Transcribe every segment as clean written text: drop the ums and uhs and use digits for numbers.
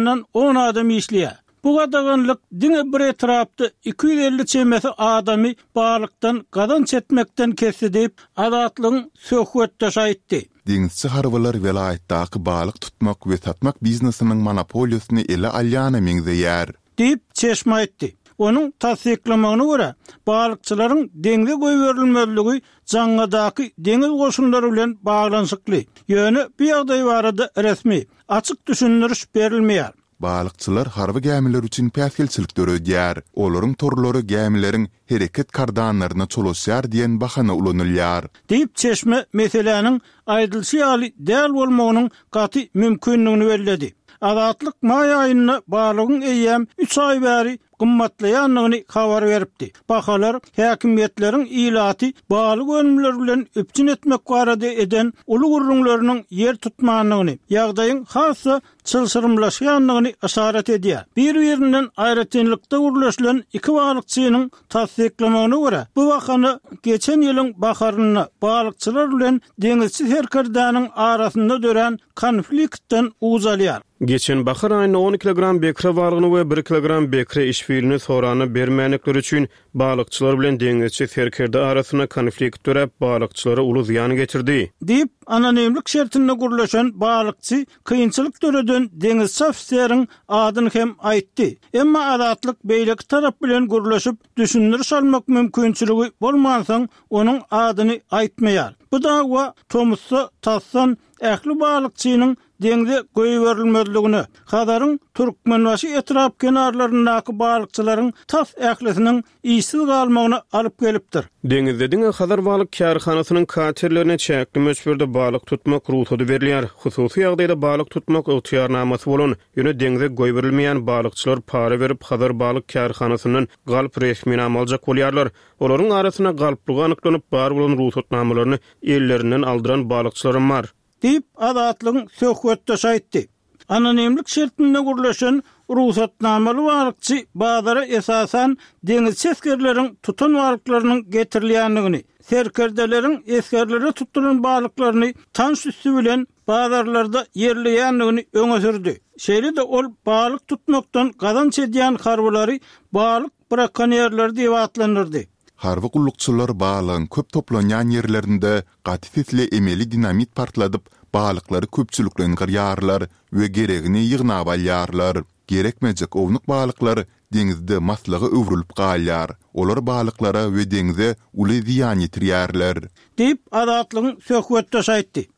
azyndan on adam işleýär. Bu gadaganlyk diňe bir etrapda 250 çemesi adamy balykdan gazanç etmekden kesdi diýip, Azatlygyň söhbetdeşi aýtdy. Deňizçi harbylar welaýatdaky balyk tutmak we satmak biznesiniň monopoliýasyny ele alýana meňzeýär. Diýip, çeşme aýtdy. Onuň tassyklamagyna görä, balykçylaryň deňze goýberilmezligi Jaňňadaky deňiz goşunlary bilen baglanyşykly. Ýöne bu ýagdaý barada resmi, açyk düşündiriş berilmeýär. Balykçylar harby gämiler üçin päsgelçilik döredýär. Olaryň torlary gämileriň hereket kardanlaryna çolaşýar diýen bahana ulanylýar. Diýip, çeşme meseläniň aýdylyşy ýaly däl bolmagynyň gaty mümkindigini belledi. Azatlyk maý aýynda balygyň eýýäm üç aý bäri gymmatlaýandygyny habar beripdi. Bahalar häkimiýetleriň ilaty balyk önümleri bilen üpjün etmek barada eden uly gürrüňleriniň ýer tutmandygyny, ýagdaýyň has-da çylşyrymlaşýandygyny yşarat edýär. Bir-birinden aýratynlykda gürleşilen iki balykçynyň tassyklamagyna görä, bu bahana geçen ýylyň baharynda balykçylar bilen deňizçi serkerdäniň arasynda dörän konfliktden uç alýar. Geçen bahar aýynda on kilogram bekre balygyny we bir kilogram bekre işbilini soranda bermändikleri üçin Balykçylar bilen deňizçi serkerde arasynda konflikt döräp, balykçylara uly zyýan getirdi. Diýip, anonimlik şertinde gürleşen balykçy kynçylyk döreden deňizçi ofiseriň adyny hem aýtdy. Emma Azatlyk beýleki tarap bilen gürleşip, düşündiriş almak mümkinçiligi bolmansoň, onuň adyny aýtmaýar. Bu dawa tomusda tasdan ähli balykçynyň deňze goýberilmezligine, Hazaryň Türkmenbaşy etrap kenarlaryndaky balykçylaryň tas ählisiniň işsiz galmagyna alyp gelipdir. Deňizde diňe Hazar balyk kärhanasynyň katerlerine çäkli möçberde balyk tutmak rugsady berilýär. Hususy ýagdaýda balyk tutmak ygtyýarnamasy bolan, ýöne deňze goýberilmeýän balykçylar para berip Hazar balyk kärhanasyndan galp resminama aljak bolýarlar. Olaryň arasynda galplygy anyklanyp, bar bolan rugsatnamalaryny ellerinden aldyran balykçylaram bar. Diýip, Azatlygyň söhbetdeşi aýtdy. Anonimlik şertinde gürleşen rugsatnamaly balykçy bazara esasan deňizçi esgerleriň tutan balyklarynyň getirilýändigini, serkerdeleriň esgerlere tutduran balyklaryny tans üsti bilen bazarlarda ýerleýändigini öňe sürdi. Şeýle-de ol balyk tutmakdan gazanç edýän harbylary balyk brakonýerleri diýip atlandyrdy. Harby gullukçylar balygyň köp toplanýan ýerlerinde gaty sesli emeli dinamit partladyp, balyklary köpçülikleýin gyrýarlar we geregini ýygnap alýarlar. Gerekmejek ownuk balyklar deňizde maslyga öwrülip galýar. Olar balyklara we deňze uly zyýan ýetirýärler. Diýip, Azatlygyň söhbetdeşi aýtdy.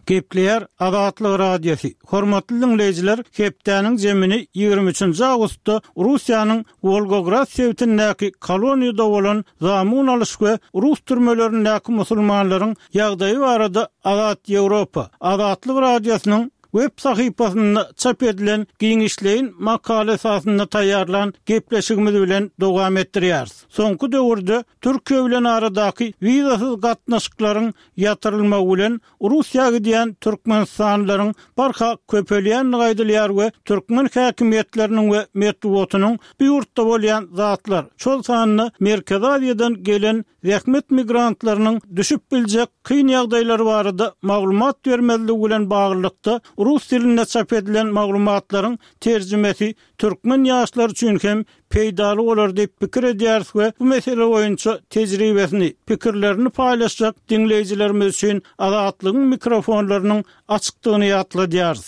Gepleýär Azatlyk Radiosy. Hormatly diňleýjiler, hepdäniň jemini 23-nji awgustda Russiýanyň Wolgograd sebitindäki koloniýada bolan zamun alyş we rus türmelerindäki musulmanlaryň ýagdaýy barada Azat Ýewropa, Azatlyk Radiosynyň web sahypasynda çap edilen giňişleýin makala esasynda taýýarlan gepleşigimiz bilen dowam etdirýäris. Soňky döwürde Türkiýe bilen aradaky wizasyz gatnaşyklaryň ýatyrylmagy bilen Russiýa gidýän türkmenistanlylaryň barha köpelýändigi aýdylýar we türkmen häkimiýetleriniň we metbugatynyň bu ýurtda bolýan zatlar, şol sanda Merkezi Aziýadan gelen zähmet migrantlarynyň düşüp biljek kyn ýagdaýlary barada maglumat bermezligi bilen baglylykda rus dilinde çap edilen maglumatlaryň terjimesi türkmen ýaşlary üçin hem peýdaly bolar diýip pikir edýäris we bu mesele boýunça tejribesini, pikirlerini paýlaşjak diňleýjilerimiz üçin Azatlygyň mikrofonlarynyň açykdygyny ýatladýarys.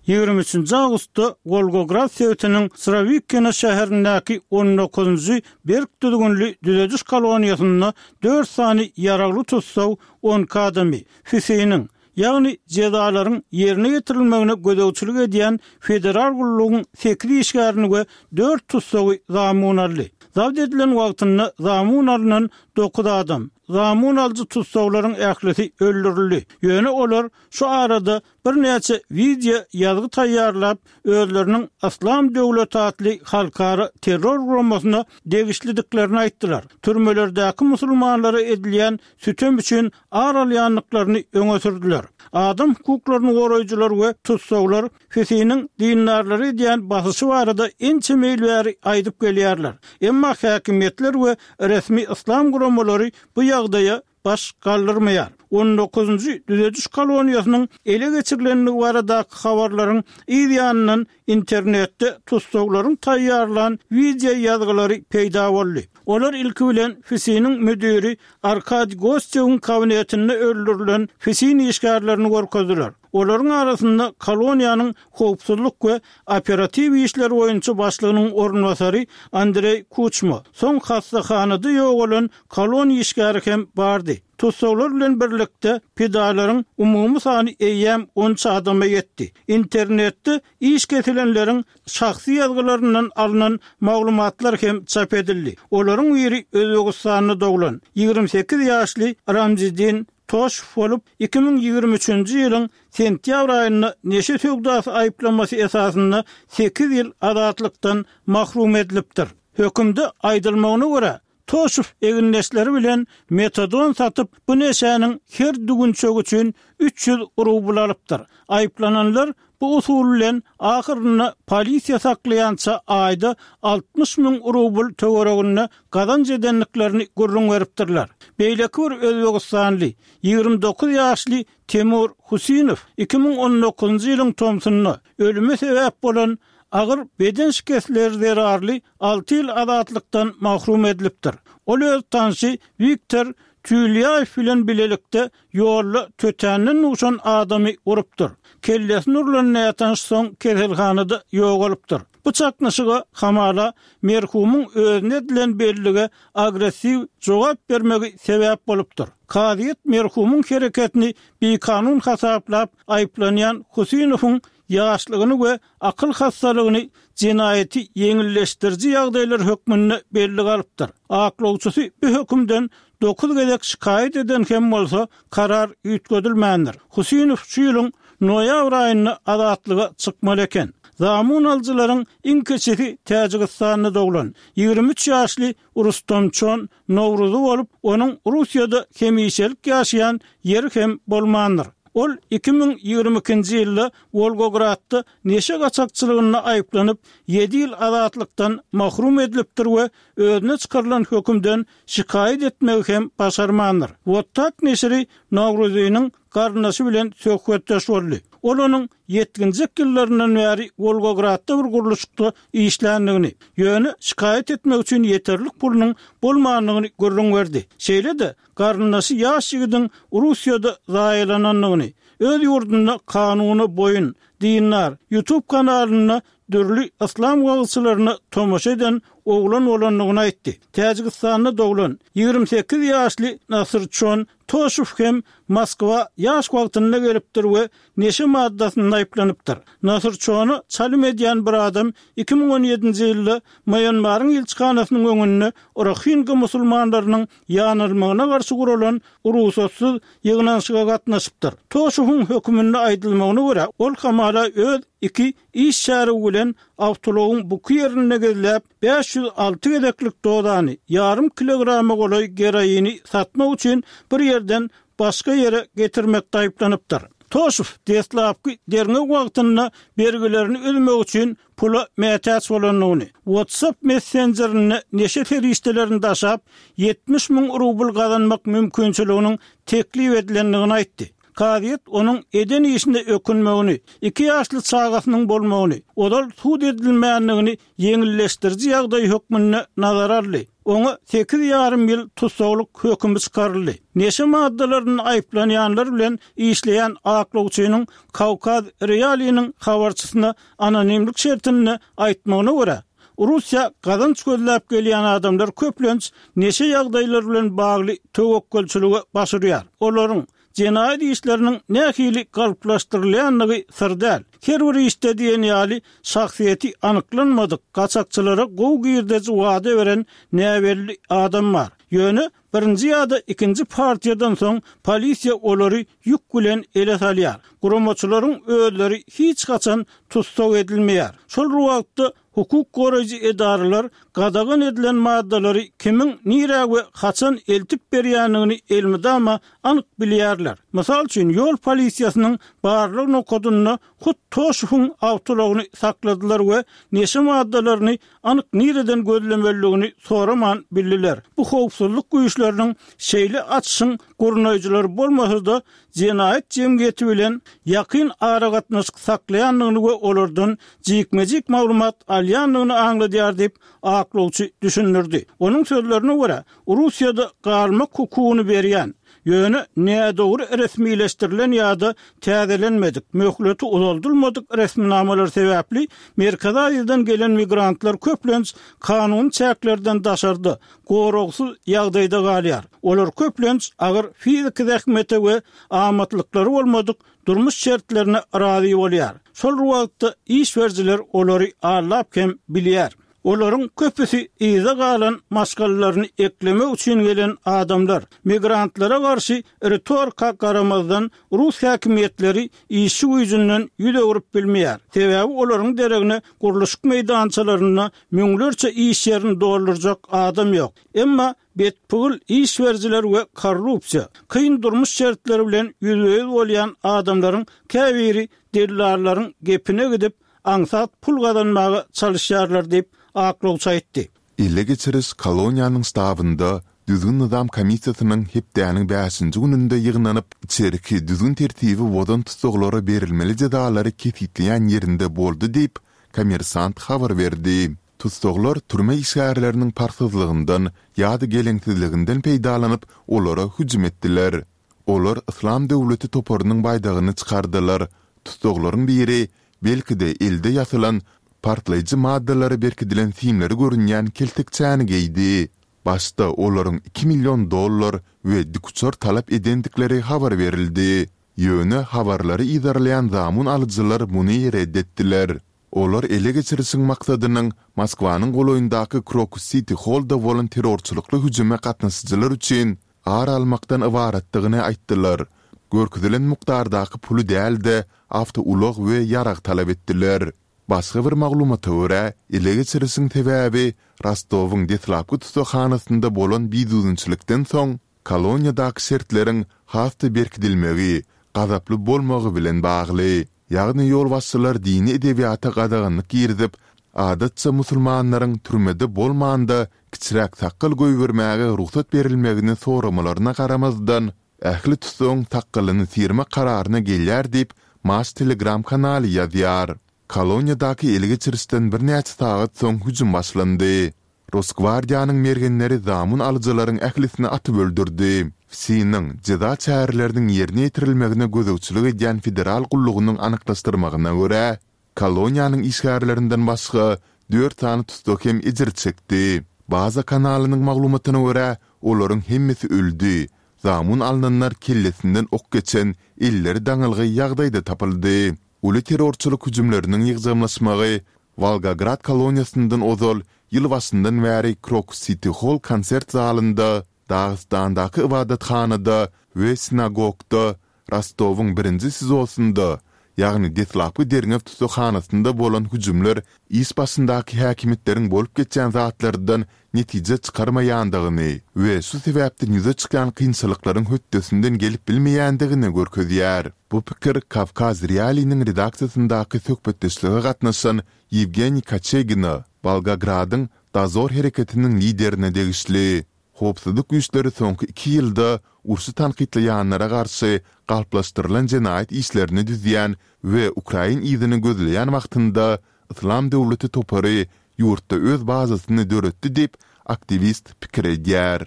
23-nji awgustda Wolgograd sebitiniň Srowikino şäherindäki on dokuzynjy berk düzgünli düzediş koloniýasynda dört sany ýaragly tussag 12 adamy, FISI-niň, ýagny jezalaryň ýerine ýetirilmegine gözegçilik edýän federal gullugyň sekiz işgärini we dört tussagy zamun aldy. Zabt edilen wagtynda zamun alnan dokuz adam, zamun alyjy tussaglaryň ählisi öldürildi. Ýöne olar şu arada birnäçe wideo ýazgy taýýarlap, özleriniň Yslam döwleti atly halkara terror guramasyna degişlidiklerini aýtdylar. Türmelerdäki musulmanlara edilýän sütem üçin ar alýandyklaryny öňe sürdüler. Adam hukuklaryny goraýjylar we tussaglar FISI-niň dindarlara edýän basyşy barada ençeme ýyl bäri aýdyp gelýärler. Emma häkimiýetler we resmi yslam guramalary bu ýagdaýa baş galdyrmaýar. on dokuzynjy düzediş koloniýasynyň ele geçirilendigi baradaky habarlaryň yz ýanyndan internetde tussaglaryň taýýarlan wideo ýazgylary peýda boldy. Olar ilki bilen FSIN-iň müdiri Arkadiý Gostewiň kabinetinde öldürilen FSIN işgärlerini görkezdiler. Olaryň arasynda koloniýanyň howpsuzlyk we operatiw işler boýunça başlygynyň orunbasary Andreý Kuçma, soň hassahanada ýogalan koloniýa işgäri hem bardy. Tussaglar bilen birlikde pidalaryň umumy sany eýýäm onça adama ýetdi. Internetde iş kesilenleriň şahsy ýazgylaryndan alnan maglumatlar hem çap edildi. Olaryň biri Özbegistanda doglan, 28 ýaşly Ramziddin Toşew bolup, 2023-nji ýylyň sentýabr aýynda neşe söwdasy aýyplamasy esasynda sekiz ýyl azatlykdan mahrum edilipdir. Hökümde aýdylmagyna görä, Toşew egindeşleri bilen metadon satyp, bu neşäniň her düwünçegi üçin 300 rubl alypdyr. Aýyplananlar bu usul bilen ahyrynda polisiýa saklaýança aýda 60 müň rubl töwereginde gazanç edendiklerini gürrüň beripdirler. Beýleki bir özbegistanly, 29 ýaşly Timur Husinow 2019-njy ýylyň tomsunda ölüme sebäp bolan agyr beden şikesleri zerarly alty ýyl azatlykdan mahrum edilipdir. Ol öz tanşy Wiktor Tülýaýew bilen bilelikde ýolda tötänden duşan adamy urupdyr. Kellesine urlan nätanyş soň keselhanada ýogalypdyr. Bu çaknyşyga hamala merhumyň özüne edilen bellige agressiw jogap bermegi sebäp bolupdyr. Kazyýet merhumyň hereketini bikanun hasaplap, aýyplanýan Husinowyň ýaşlygyny we akyl hassalygyny jenaýaty ýeňilleşdiriji ýagdaýlar hökmünde bellige alypdyr. Aklawçysy bu hökümden dokuz gezek şikaýat eden hem bolsa, karar üýtgedilmändir. Husinow şu ýylyň noýabr aýynda azatlyga çykmaly eken. Zamun alyjylaryň iň kiçisi Täjigistanda doglan, 23 ýaşly Rustamçon Nowruzy bolup, onuň Russiýada hemişelik ýaşaýan ýeri hem bolmandyr. Ol 2022-nji ýylda Wolgogradda neşe gaçakçylygynda aýyplanyp, ýedi ýyl azatlykdan mahrum edilipdir we özüne çykarylan hökümden şikaýat etmegi hem başarmandyr. Wot tak neşiri Nowruzynyň garyndaşy bilen söhbetdeş boldy. Ol onuň ýetginjek ýyllaryndan bäri Wolgogradda bir gurluşykda işländigini, ýöne şikaýat etmek üçin ýeterlik pulunyň bolmandygyny gürrüň berdi. Şeýle-de, garyndaşy ýaş ýigidiň Russiýada zaýalanandygyny, öz ýurdunda kanuna boýun, dindar, YouTube kanalynda dürli yslam wagyzçylaryna tomaşa eden oglan bolandygyny aýtdy. Täjigistanda doglan, 28 ýaşly Nasyrçon Toşew hem Moskwa ýaş wagtynda gelipdir we neşe maddasynda aýyplanypdyr. Nasyrçona çalym edýän bir adam 2017-nji ýylda Mýanmaryň ilçihanasynyň öňünde rohinga musulmanlarynyň ýanylmagyna garşy guralan rugsatsyz ýygnanyşyga gatnaşypdyr. Toşewiň höküminde aýdylmagyna görä, ol hamala öz iki iş şärigi bilen awtoulagyň buky ýerinde gizläp, 506 gezeklik dozany, ýarym kilograma golaý geroini satmak üçin bir ýerden başga ýere getirmekde aýyplanypdyr. Toşew deslapky derňew wagtynda bergilerini üzmek üçin pula mätäç bolandygyny, WhatsApp messenjerinde neşe serişdelerini daşap, 70 müň rubl gazanmak mümkinçiliginiň teklip edilendigini aýtdy. Kazyýet onuň eden işine ökünmegini, iki ýaşly çagasynyň bolmagyny, ozal sud edilmändigini ýeňilleşdiriji ýagdaý hökmünde nazara aldy. Oňa sekiz ýarym ýyl tussaglyk hökümi çykaryldy. Neşe maddalarynda aýyplanýanlar bilen işleýän aklawçynyň Kawkaz Realiniň habarçysyna anonimlik şertinde aýtmagyna görä, Russiýa gazanç gözläp gelýän adamlar köplenç neşe ýagdaýlary bilen bagly töwekgelçilige baş urýar. Olaryň jenaýat işleriniň nähili galplaşdyrylýandygy syr däl. Her bir işde diýen ýaly şahsyýeti anyklanmadyk gaçakçylara gowy girdeji wada beren näbelli adam bar. Ýöne birinji ýa-da ikinji partiýadan soň polisiýa olary ýük bilen ele salýar. Guramaçylaryň özleri hiç haçan tussag edilmeýär. Şol bir wagtda Hukuk goraýjy edaralar gadagan edilen maddalary kimiň nirä we haçan eltip berýändigini elmydama anyk bilýärler. Mysal üçin, ýol polisiýasynyň barlag nokadynda hut Toşewiň awtoulagyny sakladylar we neşe maddalaryny anyk nireden gözlemelidigini soraman bildiler. Bu howpsuzlyk güýçleri. güýçleriniň şeýle açyşyň gurnaýjylary bolmasa-da, jenaýat jemgyýeti bilen ýakyn aragatnaşyk saklaýandygyny we olardan jikme-jik maglumat alýandygyny aňladýar diýip, aklawçy düşündirdi. Onuň sözlerine görä, Russiýada galmak hukugyny berýän, ýöne nädogry resmileşdirilen ýa-da täzelenmedik, möhleti uzaldylmadyk resminamalar sebäpli Merkezi Aziýadan gelen migrantlar köplenç kanuny çäklerden daşarda, goragsyz ýagdaýda galýar. Olar köplenç agyr fiziki zähmete we amatlyklary bolmadyk durmuş şertlerine razy bolýar. Şol bir wagtda iş berijiler olary aldap hem bilýär. Olaryň köpüsi yza galan maşgalalaryny eklemek üçin gelen adamlar. Migrantlara garşy ritorika garamazdan, rus häkimiýetleri işçi güýjünden ýüz öwrüp bilmeýär. Sebäbi olaryň deregine gurluşyk meýdançalarynda müňlerçe iş ýerini doldurjak adam ýok. Emma betpygyl iş berijiler we korrupsiýa, kyn durmuş şertleri bilen ýüzbe-ýüz bolýan adamlaryň käbiri dellallaryň gepine gidip, aňsat pul gazanmaga çalyşýarlar diýip, aklawçy aýtdy. Ele geçiriş koloniýanyň ştabynda Düzgün-nyzam komissiýasynyň hepdäniň bäşinji gününde ýygnanyp, içerki düzgün-tertibi bozan tussaglara berilmeli jezalary kesgitleýän ýerinde boldy diýip, Kommersant habar berdi. Tussaglar türme işgärleriniň parhsyzlygyndan ýa-da geleňsizliginden peýdalanyp, olara hüjüm etdiler. Olar Yslam döwleti toparynyň baýdagyny çykardylar. Tussaglaryň biri, belki-de, elde ýasalan, partlaýjy maddalara berkidilen simleri görünýän keltekçäni geýdi. Başda olaryň iki million dollar we dikuçar talap edendikleri habar berildi. Ýöne habarlary yzarlaýan zamun alyjylar muny ret etdiler. Olar ele geçirişiň maksadynyň Moskwanyň golaýyndaky Krokus Siti Hollda bolan terrorçylykly hüjüme gatnaşyjylar üçin ar almakdan ybaratdygyny aýtdylar, görkezilen mukdardaky puly däl-de, awtoulag we ýarag talap etdiler. Başga bir maglumata görä, ele geçirişiň sebäbi Rostowyň deslapky tussaghanasynda bolan bidüzgünçilikden soň, koloniýadaky şertleriň has-da berkidilmegi, gazaply bolmagy bilen bagly. Ýagny ýolbaşçylar dini edebiýata gadaganlyk girizip, adatça musulmanlaryň türmede bolmanda kiçiräk sakgal goýbermäge rugsat berilmegini soramalaryna garamazdan, ähli tussagyň sakgalyny syrmak kararyna gelýär diýip, Maş Telegram kanaly ýazýar. Koloniýadaky ele geçirişden birnäçe sagat soň hüjüm başlandy. Rosgwardiýanyň mergenleri zamun alyjylaryň ählisini atyp öldürdi. FSIN-iň, jeza çäreleriniň ýerine ýetirilmegine gözegçilik edýän federal gullugynyň anyklaşdyrmagyna görä, koloniýanyň işgärlerinden başga dört sany tussag hem ejir çekdi. Baza kanalynyň maglumatyna görä, olaryň hemmesi öldi. Zamun alnanlar kellesinden ok geçen, elleri daňylgy ýagdaýda tapyldy. Uly terrorçylyk hüjümleriniň ýygjamlaşmagy Wolgograd koloniýasyndan ozal ýyl başyndan bäri Krokus Siti Holl konsert zalynda, Dagystandaky ybadathanada we sinagogda, Rostowyň birinji SIZO-synda, ýagny deslapky derňew tussaghanasynda bolan hüjümler iş başyndaky häkimiýetleriň bolup geçýän zatlardan netije çykarmaýandygyny we şu sebäpden ýüze çykýan kynçylyklaryň hötdesinden gelip bilmeýändigini görkezýär. Bu pikir Kawkaz Realiniň redaksiýasyndaky söhbetdeşlige gatnaşan Ýewgeniý Koçegina, Wolgogradyň Dozor hereketiniň liderine degişli. Howpsuzlyk güýçleri soňky iki ýylda urşy tankytlaýanlara garşy galplaşdyrylan jenaýat işlerini düzýän we ukrain yzyny gözleýän wagtynda Yslam döwleti topary ýurtda öz bazasyny döretdi diýip, aktiwist pikir edýär.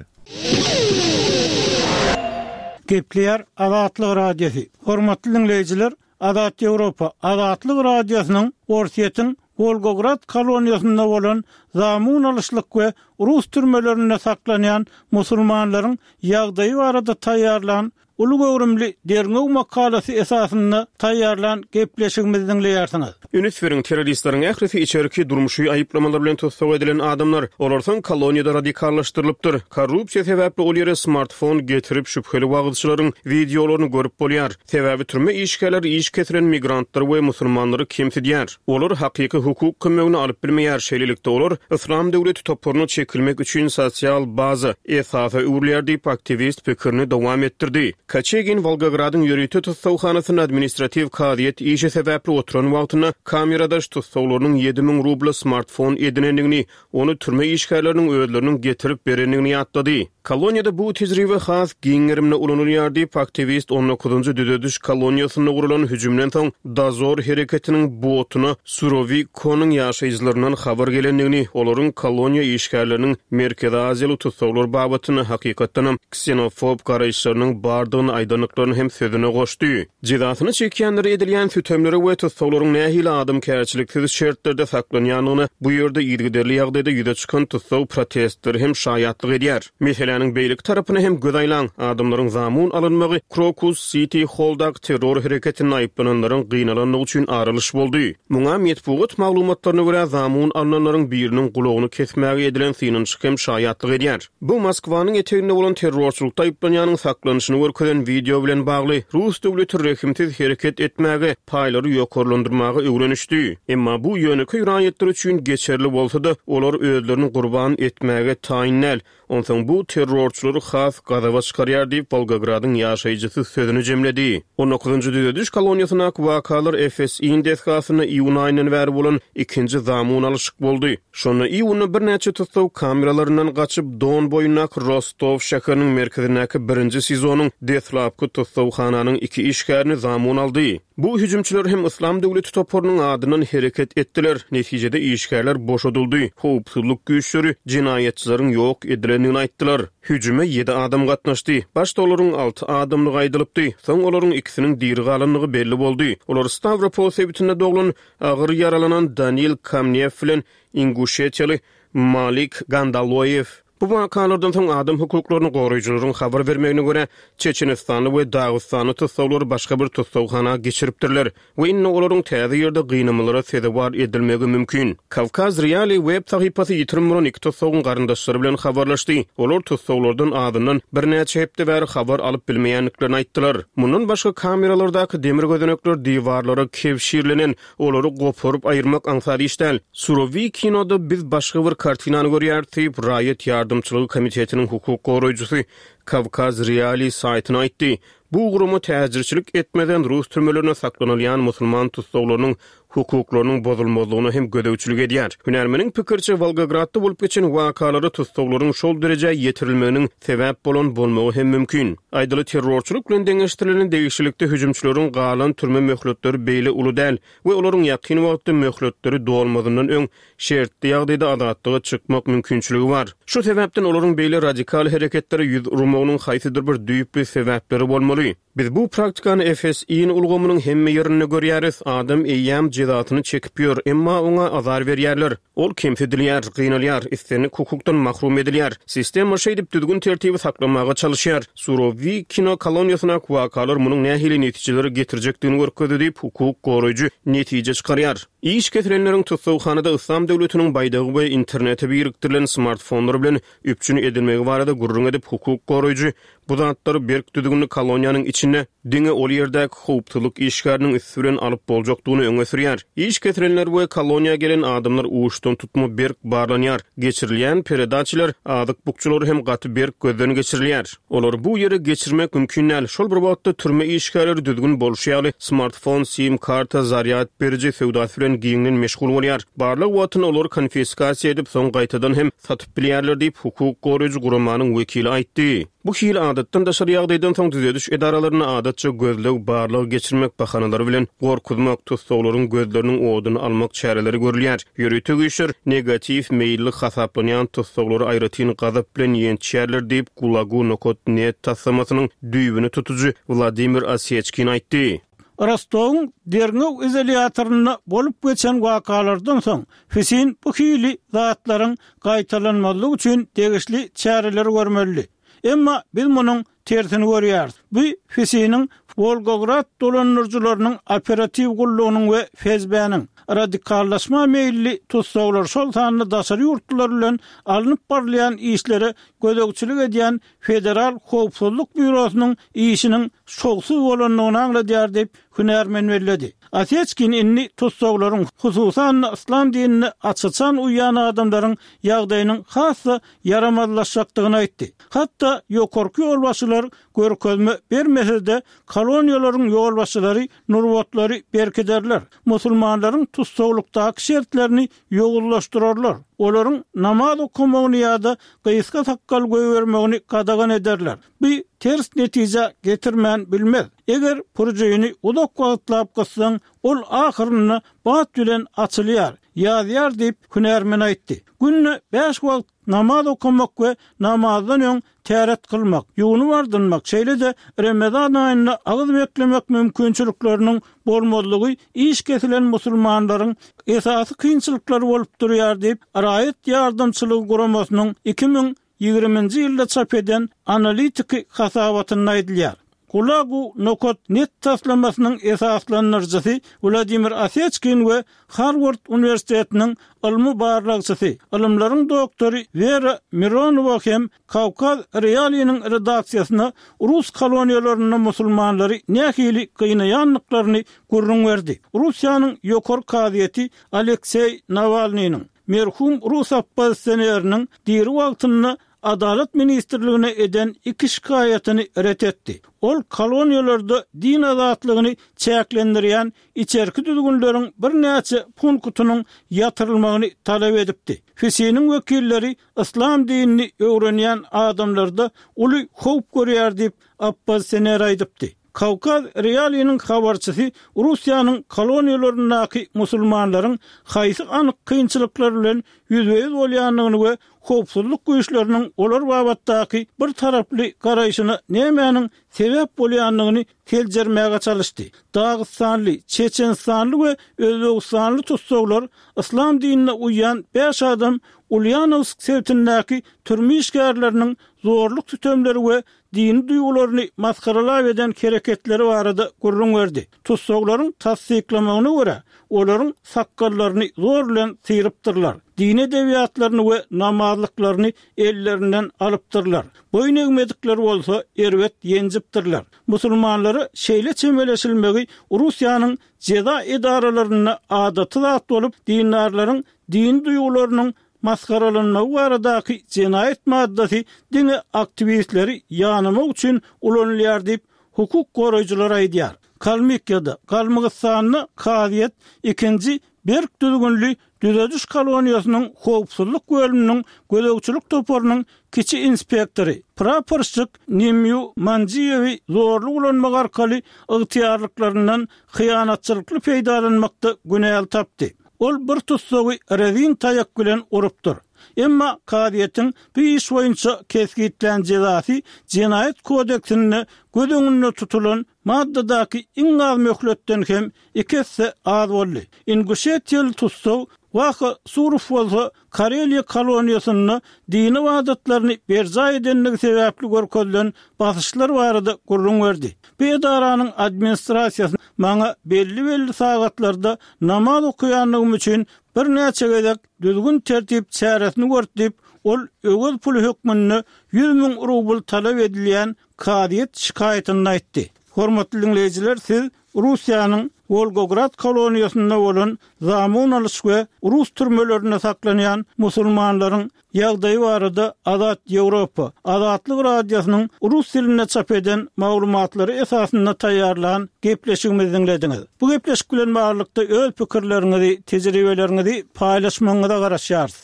Gepleýär Azatlyk Radiosy. Hormatly diňleýjiler, Azat Ýewropa, Azatlyk Radiosynyň Orsýetiň Wolgograd koloniýasynda bolan zamun alyşlyk we rus türmelerinde saklanýan musulmanlaryň ýagdaýy barada taýýarlan Uly göwrümli derňew makalasy esasynda taýýarlan gepleşigimizi diňleýärsiňiz. Üns beriň, terroristleriň ählisi içerki durmuşy aýyplamalar bilen tussag edilen adamlar. Olar soň koloniýada radikallaşdyrylypdyr. Korrupsiýa sebäpli ol ýere smartfon getirip şübheli wagyzçylaryň wideolaryny görüp bolýar. Sebäbi türme işgärleri iş kesilen migrantlary we musulmanlary kemsidýär. Olar hakyky hukuk kömegini alyp bilmeýär, şeýlelikde olar Yslam döwleti toparyna çekilmek üçin sosial baza, esasa öwrülýär diýip, aktiwist pikirini dowam etdirdi. Koçegin Wolgogradyň ýörite tussaghanasynda administratiw kazyýet işi sebäpli oturan wagtynda kameradaş tussaglarynyň 7000 rubla smartfon edinendigini, ony türme işgärleriniň özleriniň getirip berendigini ýatlady. Koloniýada bu tejribe has giň gerimde ulanylýar diýip, aktiwist on dokuzynjy düzediş koloniýasynda guralan hüjümden soň Dozor hereketiniň botuna Surowikonyň ýaşaýjylaryndan habar gelendigini, olaryň koloniýa işgärleriniň Merkezi Aziýaly tussaglar babatynda hakykatdanam ksenofob garaýyşlarynyň bardygyny aýdandyklaryny hem sözüne goşdy. Jezasyny çekýänlere edilýän sütemlere we tussaglaryň nähili adamkärçiliksiz şertlerde saklanýandygyna bu ýerde yzygiderli ýagdaýda ýüze çykan tussag protestleri hem şaýatlyk edýär. Meseläniň beýleki tarapyna hem göz aýlaň, adamlaryň zamun alynmagy Krokus Siti Holldaky terror hereketinde aýyplananlaryň gynalandygy üçin ar alyş boldy. Muňa metbugat maglumatlaryna görä zamun alnanlaryň biriniň gulagyny kesmäge edilen synanyşyk hem şaýatlyk edýär. Bu Moskwanyň eteginde bolan terrorçylykda aýyplanýanyň saklanyşyny görkezen wideo bilen bagly. Rus döwleti rehimsiz hereket etmäge, paýlary ýokarlandyrmaga öwrenişdi. Emma bu ýönekeý raýatlar üçin geçerli bolsa-da, olar özlerini gurban etmäge taýyn däl. Onsoň bu terrorçylary has gazaba çykarýar diýip, Wolgogradyň ýaşaýjysy sözüni jemledi. On dokuzynjy düzediş koloniýasyndaky wakalar FSIN desgasynda iýun aýyndan bäri bolan ikinji zamun alyşyk boldy. Şonda iýunda birnäçe tussag kameralaryndan gaçyp, Don boýundaky Rostow şäheriniň merkezindäki birinji SIZO-nyň deslapky tussaghananyň iki işgärini zamun aldy. Bu hüjümçiler hem Yslam döwleti toparynyň adyndan hereket etdiler. Netijede işgärler boşadyldy, howpsuzlyk güýçleri jenaýatçylaryň ýok edilendigini aýtdylar. Hüjüme ýedi adam gatnaşdy. Başda olaryň alty adamdygy aýdylypdy. Soň olaryň ikisiniň diri galandygy belli boldy. Olar Stawropol sebitinde doglan Agyr ýaralanan Danil Kamnew bilen inguşetiýaly Malik Gandaloýew. Bu wakalardan soň adam hukuklaryny goraýjylaryň habar bermegine görä, çeçenistanly we dagystanly tussaglary başga bir tussaghana geçiripdirler we indi olaryň täze ýerde gynamalara sezewar edilmegi mümkin. Kawkaz Realii web sahypasy ýitirim bolan iki tussagyň garyndaşlary bilen habarlaşdy. Olar tussaglardan azyndan birnäçe hepde bäri habar alyp bilmeýändiklerini aýtdylar. Mundan başga kameralardaky demir gözenekler diwarlara kebşirlenen, olary goparyp aýyrmak aňsat iş däl. Surowikinoda biz başga bir kartinany görýäris diýip, Raýat ýardamçylygy komitetiniň hukuk goraýjysy Kawkaz Realii saýtyna aýtdy. Bu gurama täjirçilik etmeden rus türmelerinde saklanylýan musulman tussaglarynyň hukuklarynyň bozulmazlygyna hem gözegçilik edýär. Hünärmeniň pikiriçe, Wolgogradda bolup geçen wakalara tussaglaryň şol derejä ýetirilmeginiň sebäp bolan bolmagy hem mümkin. Aýdaly, terrorçylyk bilen deňeşdirilende degişlilikde hüjümçileriň galan türme möhletleri beýle uly däl we olaryň ýakyn wagtda möhletleri dolmazyndan öň şertli ýagdaýda azatlyga çykmak mümkinçiligi bar. Şu sebäpden olaryň beýle radikal hereketlere ýüz urmagynyň haýsydyr bir düýpli sebäpleri bolmaly. Biz bu praktikany FSIN ulgamynyň hemme ýerinde görýäris, adam eýýäm jezasyny çekip ýör, emma oňa azar berýärler. Ol kemsidilýär, gynalýar, islendik hukukdan mahrum edilýär. Sistema şeýdip düzgün-tertibi saklamaga çalyşýar. Surowikino koloniýasyndaky wakalar munuň nähili netijelere getirjekdigini görkezdi diýip, hukuk goraýjy netije çykarýar. Iş kesilenleriň tussaghanada Yslam döwletiniň baýdagy we internete birikdirilen smartfonlar bilen üpjün edilmegi barada gürrüň edip, hukuk goraýjy Bu zatlary berk düzgünli koloniýanyň içinde diňe ol ýerdäki howpsuzlyk işgäriniň üsti bilen alyp boljakdygyny öňe sürýär. Iş kesilenler we koloniýa gelen adamlar uçdan tutma berk barlanýar. Geçirilýän peredaçiler, azyk bukjalary hem gaty berk gözden geçirilýär. Olary bu ýere geçirmek mümkin däl. Şol bir wagtda türme işgärleri düzgün bolşy ýaly smartfon, sim karta, zarýad beriji söwdasy bilen giňden meşgul bolýar. Barlag wagtynda olary konfiskasiýa edip, soň gaýtadan hem satyp bilýärler diýip, hukuk goraýjy guramanyň wekili aýtdy. Bu hili adatdan daşary ýagdaýdan soň düzediş edaralarynda adatça gözleg-barlag geçirmek bahanalary bilen gorkuzmak, tussaglaryň gözleriniň oduny almak çäreleri görülýär. Ýörite güýçler negatiw meýilli hasaplanýan tussaglary aýratyn gazap bilen ýençýärler diýip, Gulagu nokat net taslamasynyň düýbüni tutujy Wladimir Oseçkin aýtdy. Rostowyň derňew izolýatorynda bolup geçen wakalardan soň, FSIN bu hili zatlaryň gaýtalanmazlygy üçin degişli çäreleri görmelidi. Emma biz munuň tersini görýäris. Bu FSIN-iň Wolgograd dolandyryjylarynyň operatiw gullugynyň we FSB-niň radikallaşma meýilli tussaglar, şol sanda daşary ýurtlular bilen alnyp barylýan işlere gözegçilik edýän Federal howpsuzlyk býurosynyň işiniň şowsuz bolandygyny aňladýar diýip, hünärmen belledi. Oseçkin indi tussaglaryň, hususan-da, yslam dinine aç-açan uýýan adamlaryň ýagdaýynyň has-da ýaramazlaşjakdygyny aýtdy. Hatda ýokarky ýolbaşçylar görkezme bermese-de, koloniýalaryň ýolbaşçylary nurbatlary berkiderler, musulmanlaryň tussaglykdaky şertlerini ýowuzlaşdyrarlar. Olaryň namaz okamagyny ýa-da gysga sakgal goýbermegini gadagan ederler. Bu ters netijä getirmän bilmez. Eger puržini uzak wagtlap gyssaň, ol ahyrynda bat bilen açylýar, ýazýar diýip, hünärmen aýtdy. Günde bäş wagt namaz okamak we namazdan öň täret kylmak, ýuwnup-ardynmak, şeýle-de Remezan aýynda agyz beklemek mümkinçilikleriniň bolmazlygy iş kesilen musulmanlaryň esasy kynçylyklary bolup durýar diýip, Raýat ýardamçylygy guramasynyň 2020-nji ýylda çap eden analitiki hasabatynda aýdylýar. Gulagu nokat net taslamasynyň esaslandyryjysy Wladimir Oseçkin we Harward uniwersitetiniň ylmy barlagçysy, ylymlaryň doktory Wera Mironowa hem Kawkaz Realiniň redaksiýasyna rus koloniýalarynda musulmanlary nähili gynaýandyklaryny gürrüň berdi. Russiýanyň Ýokary kazyýeti Alekseý Nawalnynyň, merhum rus oppozisioneriniň diri wagtynda Adalat ministrligine eden iki şikaýatyny ret etdi. Ol koloniýalarda din azatlygyny çäklendirýän içerki düzgünleriň birnäçe punktynyň ýatyrylmagyny talap edipdi. FISI-niň wekilleri yslam dinini öwrenýän adamlarda uly howp görýär diýip, oppozisioner aýdypdy. Kawkaz Realiniň habarçysy Russiýanyň koloniýalaryndaky musulmanlaryň haýsy anyk kynçylyklar bilen ýüzbe-ýüz bolýandygyny we howpsuzlyk güýçleriniň olar babatdaky bir taraply garaýşyna nämäniň sebäp bolýandygyny seljermäge çalyşdy. Dagystanly, çeçenistanly we özbegistanly tussaglar yslam dinine uýýan bäş adam Ulýanowsk sebitindäki türme işgärleriniň zorluk-sütemleri we dini duýgularyny masgaralap eden hereketleri barada gürrüň berdi. Tussaglaryň tassyklamagyna görä, olaryň sakgallaryny zor bilen syrypdyrlar, dini edebiýatlaryny we namazlyklaryny ellerinden alypdyrlar, boýun egmedikleri bolsa erbet ýenjipdirler. Musulmanlara şeýle çemeleşilmegi Russiýanyň jeza edaralarynda adaty zat bolup, dindarlaryň dini duýgularynyň masgaralanmagy baradaky jenaýat maddasy diňe aktiwistleri ýanamak üçin ulanylýar diýip, hukuk goraýjylar aýdýar. Kalmykiýada, Galmygystanda kazyýet ikinji berk düzgünli düzediş koloniýasynyň howpsuzlyk bölüminiň gözegçilik toparynyň kiçi inspektory, praporşçik Nemýu Manjiýewi zorluk ulanmak arkaly ygtyýarlyklaryndan hyýanatçylykly peýdalanmakda günäli tapdy. Ol bir tussagy rezin taýak bilen urupdyr. Emma kazyýetiň bu iş boýunça kesgitlän jezasy Jenaýat kodeksinde göz öňünde tutulan maddadaky iň az möhletden hem iki esse az boldy. Inguşetiýaly tussag Waha Surow bolsa Kareliýa koloniýasynda dini ybadatlaryny berjaý edendigi sebäpli görkezilen basyşlar barada gürrüň berdi. Bu edaranyň administrasiýasy maňa belli-belli sagatlarda namaz okaýandygym üçin birnäçe gezek düzgün-tertip çäresini gördi diýip, ol öwez puly hökmünde 100 müň rubl talap edilýän kazyýet şikaýatynda aýtdy. Hormatly diňleýjiler, siz Russiýanyň Wolgograd koloniýasynda bolan zamun alyş we rus türmelerinde saklanýan musulmanlaryň ýagdaýy barada Azat Ýewropa, Azatlyk Radiosynyň rus dilinde çap eden maglumatlary esasynda taýýarlan gepleşigimizi diňlediňiz. Bu gepleşik bilen baglylykda öz pikirleriňizi, tejribeleriňizi paýlaşmagyňyza garaşýarys.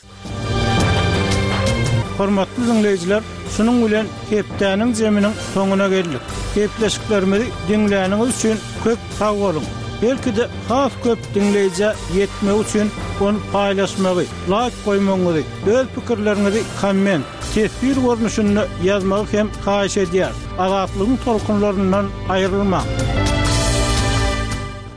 Hormatly diňleýjiler, şunuň bilen hepdäniň jeminiň soňuna geldik. Gepleşiklerimizi diňläniňiz üçin köp sag boluň! Belki-de has köp diňleýjä ýetmegi üçin ony paýlaşmagy, laýk goýmagyňyzy, öz pikirleriňizi komment, teswir görnüşinde ýazmagy hem haýyş edýäris. Azatlygyň tolkunlaryndan aýrylmaň!